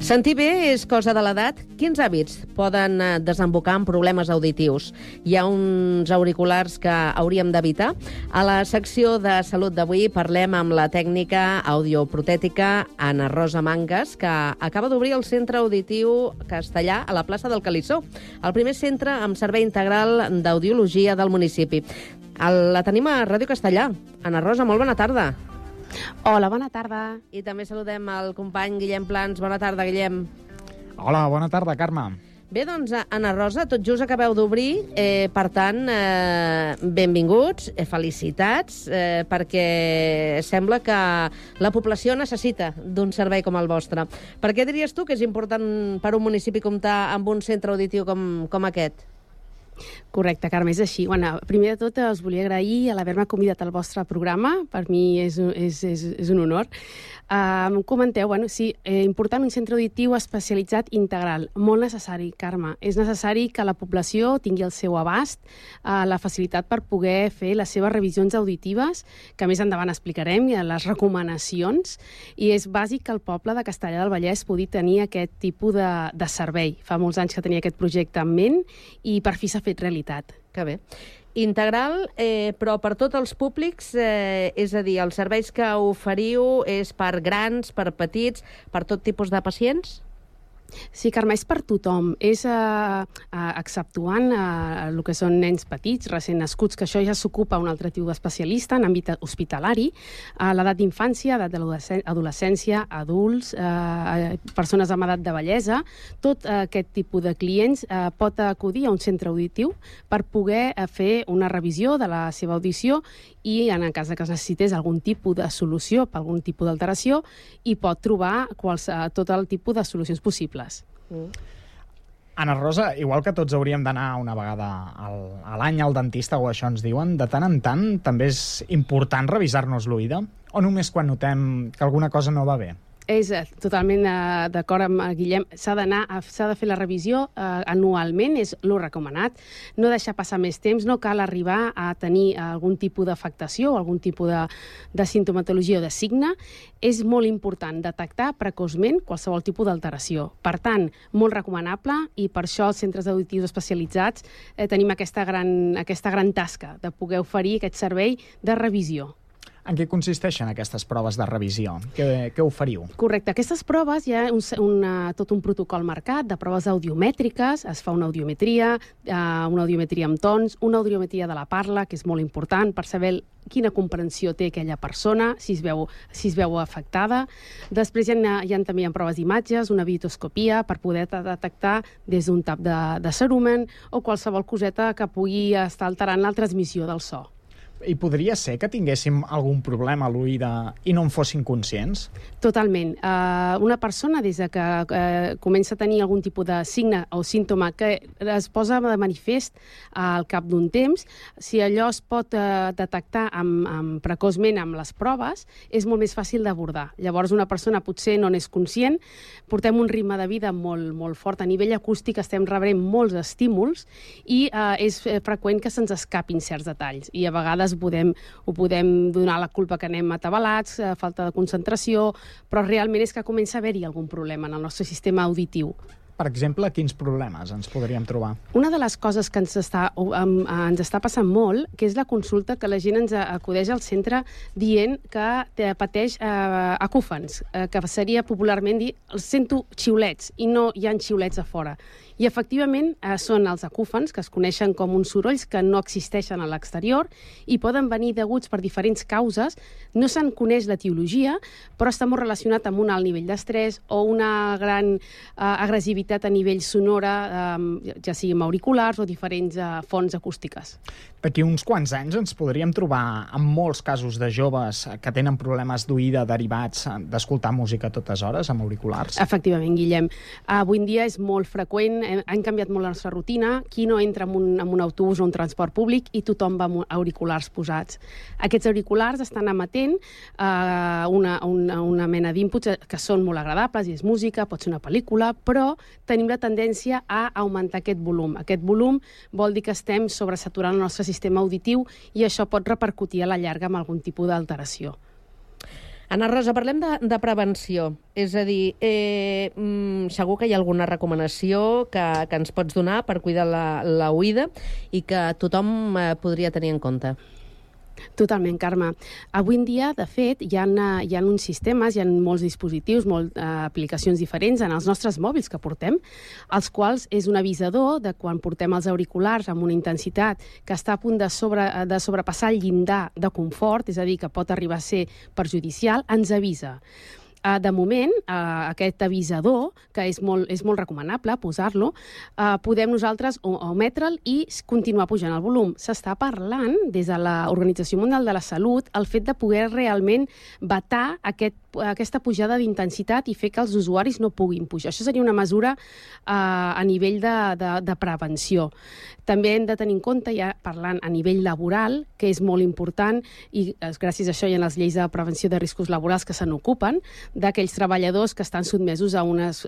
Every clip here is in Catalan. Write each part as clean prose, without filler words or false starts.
Sentir bé és cosa de l'edat? Quins hàbits poden desembocar en problemes auditius? Hi ha uns auriculars que hauríem d'evitar? A la secció de salut d'avui parlem amb la tècnica audioprotètica Ana Rosa Mangas, que acaba d'obrir el Centre Auditiu Castellà a la plaça del Calissó, el primer centre amb servei integral d'audiologia del municipi. La tenim a Ràdio Castellà. Ana Rosa, molt bona tarda. Hola, bona tarda. I també saludem el company Guillem Plans. Bona tarda, Guillem. Hola, bona tarda, Carme. Bé, doncs, Ana Rosa, tot just acabeu d'obrir, per tant, benvinguts, felicitats, perquè sembla que la població necessita d'un servei com el vostre. Per què diries tu que és important per un municipi comptar amb un centre auditiu com aquest? Correcte, Carme, és així. Bueno, primer de tot, us volia agrair l'haver-me convidat al vostre programa. Per mi és un honor. Comenteu, sí, important un centre auditiu especialitzat integral. Molt necessari, Carme. És necessari que la població tingui al seu abast la facilitat per poder fer les seves revisions auditives, que més endavant explicarem, i les recomanacions. I és bàsic que el poble de Castellar del Vallès pugui tenir aquest tipus de servei. Fa molts anys que tenia aquest projecte en ment i per fi s'ha fet realitat. Que bé. Integral, però per tots els públics, és a dir, els serveis que oferiu és per grans, per petits, per tot tipus de pacients? Sí, Carme, és per tothom. És exceptuant el que són nens petits, recent nascuts, que això ja s'ocupa un altre tipus d'especialista en àmbit hospitalari, a l'edat d'infància, edat de l'adolescència, adults, persones amb edat de vellesa. Tot aquest tipus de clients pot acudir a un centre auditiu per poder fer una revisió de la seva audició i, en el cas que es necessités algun tipus de solució per algun tipus d'alteració, hi pot trobar tot el tipus de solucions possibles. Ana Rosa, igual que tots hauríem d'anar una vegada a l'any al dentista, o això ens diuen, de tant en tant també és important revisar-nos l'oïda? O només quan notem que alguna cosa no va bé? És totalment d'acord amb Guillem. S'ha de fer la revisió anualment, és lo recomanat. No deixar passar més temps, no cal arribar a tenir algun tipus d'afectació o algun tipus de sintomatologia o de signe. És molt important detectar precoçment qualsevol tipus d'alteració. Per tant, molt recomanable, i per això els centres auditius especialitzats tenim aquesta gran tasca de poder oferir aquest servei de revisió. En què consisteixen aquestes proves de revisió? Què oferiu? Correcte. Aquestes proves hi ha tot un protocol marcat de proves audiomètriques. Es fa una audiometria amb tons, una audiometria de la parla, que és molt important per saber quina comprensió té aquella persona, si es veu afectada. Després hi ha també proves d'imatges, una vitoscopia, per poder detectar des d'un tap de cerumen o qualsevol coseta que pugui estar alterant la transmissió del so. I podria ser que tinguéssim algun problema a l'oïda i no en fossin conscients? Totalment. Una persona, des que comença a tenir algun tipus de signe o símptoma que es posa de manifest al cap d'un temps, si allò es pot detectar precoçment amb les proves, és molt més fàcil d'abordar. Llavors, una persona potser no n'és conscient, portem un ritme de vida molt fort. A nivell acústic estem rebent molts estímuls i és freqüent que se'ns escapin certs detalls. I a vegades ho podem donar la culpa que anem atabalats, falta de concentració, però realment és que comença a haver-hi algun problema en el nostre sistema auditiu. Per exemple, quins problemes ens podríem trobar? Una de les coses que ens està passant molt, que és la consulta que la gent ens acudeix al centre dient que pateix acúfens, que seria popularment dir, sento xiulets, i no hi ha xiulets a fora. I efectivament són els acúfens, que es coneixen com uns sorolls que no existeixen a l'exterior i poden venir deguts per diferents causes. No se'n coneix l'etiologia, però està molt relacionat amb un alt nivell d'estrès o una gran agressivitat a nivell sonora, ja sigui amb auriculars o diferents fonts acústiques. D'aquí uns quants anys ens podríem trobar amb molts casos de joves que tenen problemes d'oïda derivats d'escoltar música a totes hores amb auriculars? Efectivament, Guillem. Avui en dia és molt freqüent, han canviat molt la nostra rutina, qui no entra en un autobús o un transport públic i tothom va amb auriculars posats. Aquests auriculars estan emetent una mena d'inputs que són molt agradables, i és música, pot ser una pel·lícula, però tenim la tendència a augmentar aquest volum. Aquest volum vol dir que estem sobresaturant el nostre sistema auditiu i això pot repercutir a la llarga amb algun tipus d'alteració. Ana Rosa, parlem de prevenció. És a dir, segur que hi ha alguna recomanació que ens pots donar per cuidar la oïda i que tothom podria tenir en compte. Totalment, Carme. Avui en dia, de fet, hi ha uns sistemes, hi ha molts dispositius, aplicacions diferents en els nostres mòbils que portem, els quals és un avisador de quan portem els auriculars amb una intensitat que està a punt de sobrepassar el llindar de confort, és a dir, que pot arribar a ser perjudicial, ens avisa. De moment, aquest avisador, que és molt recomanable posar-lo, podem nosaltres ometre'l i continuar pujant el volum. S'està parlant, des de l'Organització Mundial de la Salut, el fet de poder realment vetar aquesta pujada d'intensitat i fer que els usuaris no puguin pujar. Això seria una mesura a nivell de prevenció. També hem de tenir en compte, ja parlant a nivell laboral, que és molt important, i gràcies a això hi ha les lleis de prevenció de riscos laborals que se n'ocupen, d'aquells treballadors que estan sotmesos a unes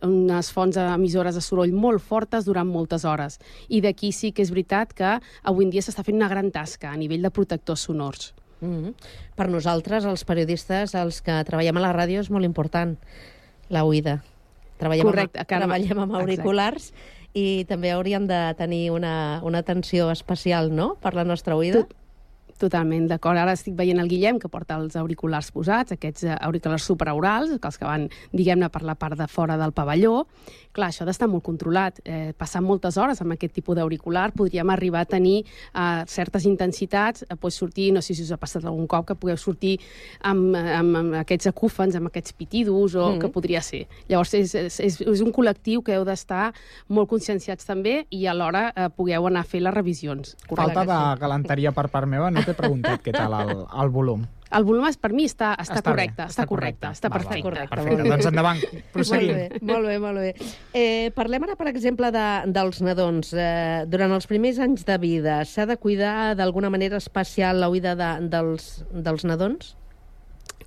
fonts emissores de soroll molt fortes durant moltes hores. I d'aquí sí que és veritat que avui en dia s'està fent una gran tasca a nivell de protectors sonors. Per nosaltres, els periodistes, els que treballem a la ràdio, és molt important la oïda. Treballem amb auriculars. Exacte. I també hauríem de tenir una atenció especial, no?, per la nostra oïda. Totalment, d'acord. Ara estic veient el Guillem, que porta els auriculars posats, aquests auriculars supraorals, els que van, diguem-ne, per la part de fora del pavelló. Clar, això ha d'estar molt controlat. Passant moltes hores amb aquest tipus d'auricular podríem arribar a tenir certes intensitats, sortir, no sé si us ha passat algun cop, que pugueu sortir amb aquests acúfens, amb aquests pitidos, o que podria ser. Llavors, és un col·lectiu que heu d'estar molt conscienciats també i alhora pugueu anar a fer les revisions. Falta de galanteria per part meva, no t'he preguntat què tal el volum. El volum per mi està correcte, està perfecte. Perfecte, doncs endavant, proseguim. Molt bé. Parlem ara, per exemple, dels nadons. Durant els primers anys de vida, s'ha de cuidar d'alguna manera especial l'oïda dels nadons?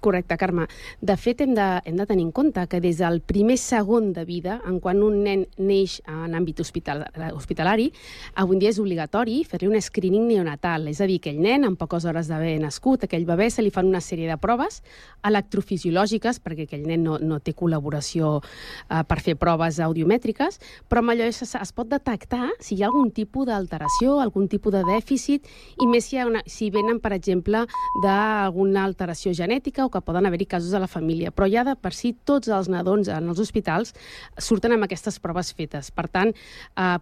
Correcte, Carme. De fet, hem de tenir en compte que des del primer segon de vida, quan un nen neix en àmbit hospitalari, avui en dia és obligatori fer-li un screening neonatal, és a dir, aquell nen, en poques hores d'haver nascut, aquell bebè, se li fan una sèrie de proves electrofisiològiques, perquè aquell nen no té col·laboració per fer proves audiomètriques, però amb allò es pot detectar si hi ha algun tipus d'alteració, algun tipus de dèficit, i més si venen, per exemple, d'alguna alteració genètica o que poden haver-hi casos a la família. Però ja de per si tots els nadons en els hospitals surten amb aquestes proves fetes. Per tant,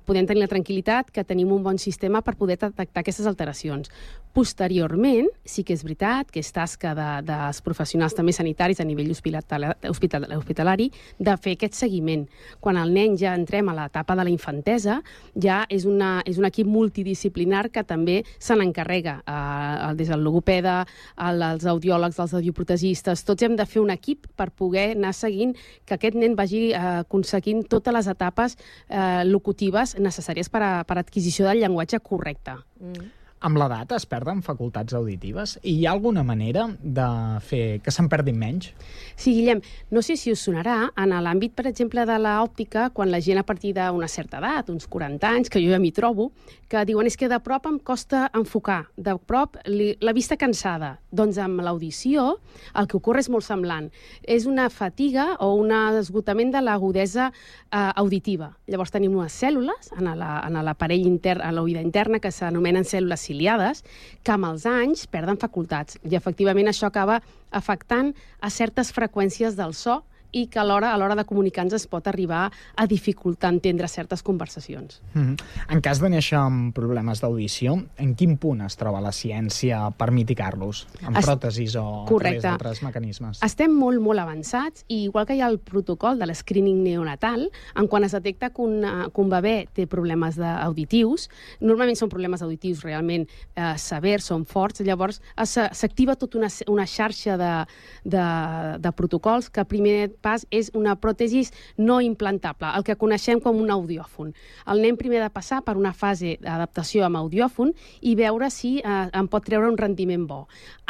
podem tenir la tranquil·litat que tenim un bon sistema per poder detectar aquestes alteracions. Posteriorment, sí que és veritat que és tasca dels professionals també sanitaris a nivell hospitalari de fer aquest seguiment. Quan el nen ja entrem a l'etapa de la infantesa, ja és un equip multidisciplinar que també se n'encarrega. Des del logopeda, els audiòlegs, els audioprotegistes, tots hem de fer un equip per poder anar seguint que aquest nen vagi aconseguint totes les etapes locutives necessàries per adquisició del llenguatge correcte. Amb l'edat es perden facultats auditives? I hi ha alguna manera de fer que se'n perdin menys? Sí, Guillem, no sé si us sonarà, en l'àmbit, per exemple, de l'òptica, quan la gent a partir d'una certa edat, uns 40 anys, que jo ja m'hi trobo, que diuen és que de prop em costa enfocar, de prop la vista cansada. Doncs amb l'audició el que ocorre és molt semblant. És una fatiga o un esgotament de l'agudesa auditiva. Llavors tenim unes cèl·lules en l'aparell intern, a l'oïda interna, que s'anomenen cèl·lules ciliades, que amb els anys perden facultats. I efectivament això acaba afectant a certes freqüències del so i que a l'hora de comunicar-nos es pot arribar a dificultar entendre certes conversacions. En cas de néixer amb problemes d'audició, en quin punt es troba la ciència per mitigar-los? Amb pròtesis o a través d'altres mecanismes? Estem molt, molt avançats, i igual que hi ha el protocol de l'escreening neonatal, quan es detecta que un bebè té problemes auditius, normalment són problemes auditius realment severs, són forts, llavors s'activa tota una xarxa de protocols que primer pas és una pròtesi no implantable, el que coneixem com un audiòfon. El nen primer ha de passar per una fase d'adaptació amb audiòfon i veure si en pot treure un rendiment bo.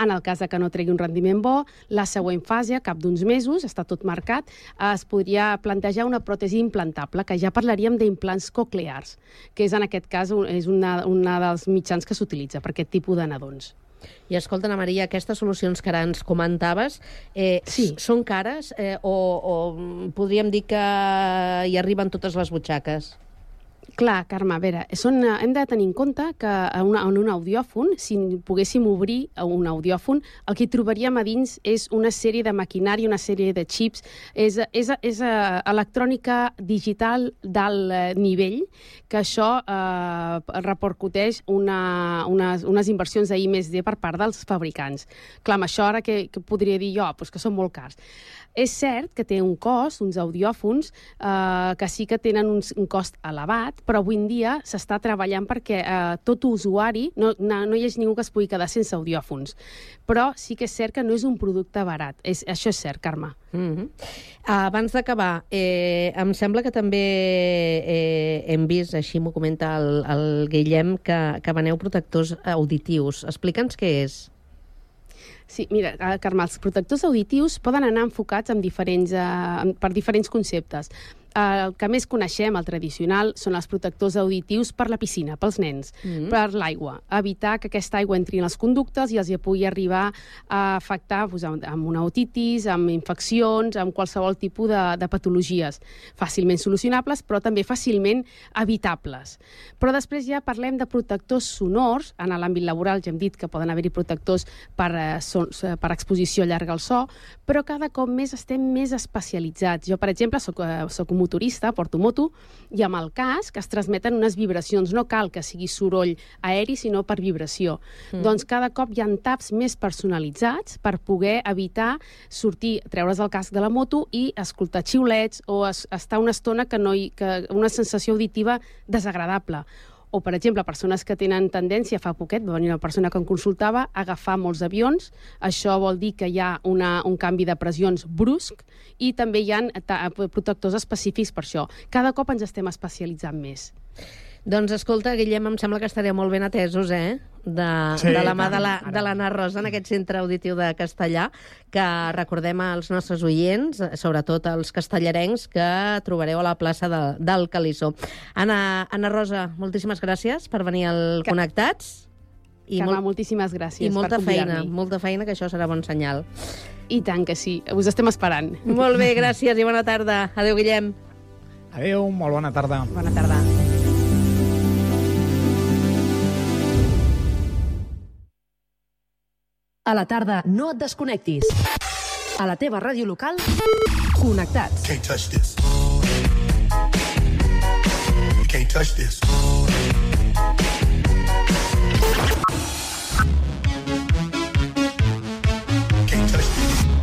En el cas que no tregui un rendiment bo, la següent fase, a cap d'uns mesos, està tot marcat, es podria plantejar una pròtesi implantable, que ja parlaríem d'implants coclears, que és en aquest cas és una dels mitjans que s'utilitza per aquest tipus de nadons. I escolta, Ana Maria, aquestes solucions que ara ens comentaves, Sí. són cares o podríem dir que hi arriben totes les butxaques? Clar, Carme, a veure, hem de tenir en compte que en un audiòfon, si poguéssim obrir un audiòfon, el que hi trobaríem a dins és una sèrie de maquinària, una sèrie de xips, és electrònica digital d'alt nivell, que això repercuteix unes inversions de I+D per part dels fabricants. Clar, amb això ara que podria dir jo? Pues que són molt cars. És cert que té un cost, uns audiòfons, que sí que tenen un cost elevat, però avui en dia s'està treballant perquè tot usuari, no hi hagi ningú que es pugui quedar sense audiòfons. Però sí que és cert que no és un producte barat. Això és cert, Carme. Abans d'acabar, em sembla que també hem vist, així m'ho comenta el Guillem, que veneu protectors auditius. Explica'ns què és. Sí, mira, Carme, els protectors auditius poden anar enfocats per diferents conceptes. El que més coneixem, el tradicional, són els protectors auditius per la piscina, pels nens, per l'aigua. Evitar que aquesta aigua entri en els conductes i els hi pugui arribar a afectar amb una otitis, amb infeccions, amb qualsevol tipus de patologies fàcilment solucionables, però també fàcilment evitables. Però després ja parlem de protectors sonors. En l'àmbit laboral ja hem dit que poden haver-hi protectors per exposició llarga al so, però cada cop més estem més especialitzats. Jo, per exemple, soc un motorista, porto moto, i amb el casc es transmeten unes vibracions. No cal que sigui soroll aeri, sinó per vibració. Doncs cada cop hi ha taps més personalitzats per poder evitar treure's el casc de la moto i escoltar xiulets o estar una estona que una sensació auditiva desagradable. O, per exemple, persones que tenen tendència, fa poquet va venir una persona que em consultava, a agafar molts avions. Això vol dir que hi ha un canvi de pressions brusc i també hi ha protectors específics per això. Cada cop ens estem especialitzant més. Doncs escolta, Guillem, em sembla que estareu molt ben atesos, de la mà de l'Anna Rosa en aquest centre auditiu de Castellà, que recordem als nostres oients, sobretot als castellarencs, que trobareu a la plaça del Calissó. Anna Rosa, moltíssimes gràcies per venir al Connectats. Carme, moltíssimes gràcies per convidar-me. I molta feina, que això serà bon senyal. I tant que sí, us estem esperant. Molt bé, gràcies i bona tarda. Adéu, Guillem. Adéu, molt bona tarda. Bona tarda. A la tarda, no et desconnectis. A la teva ràdio local, Connectats. Can't touch this. You can't touch this.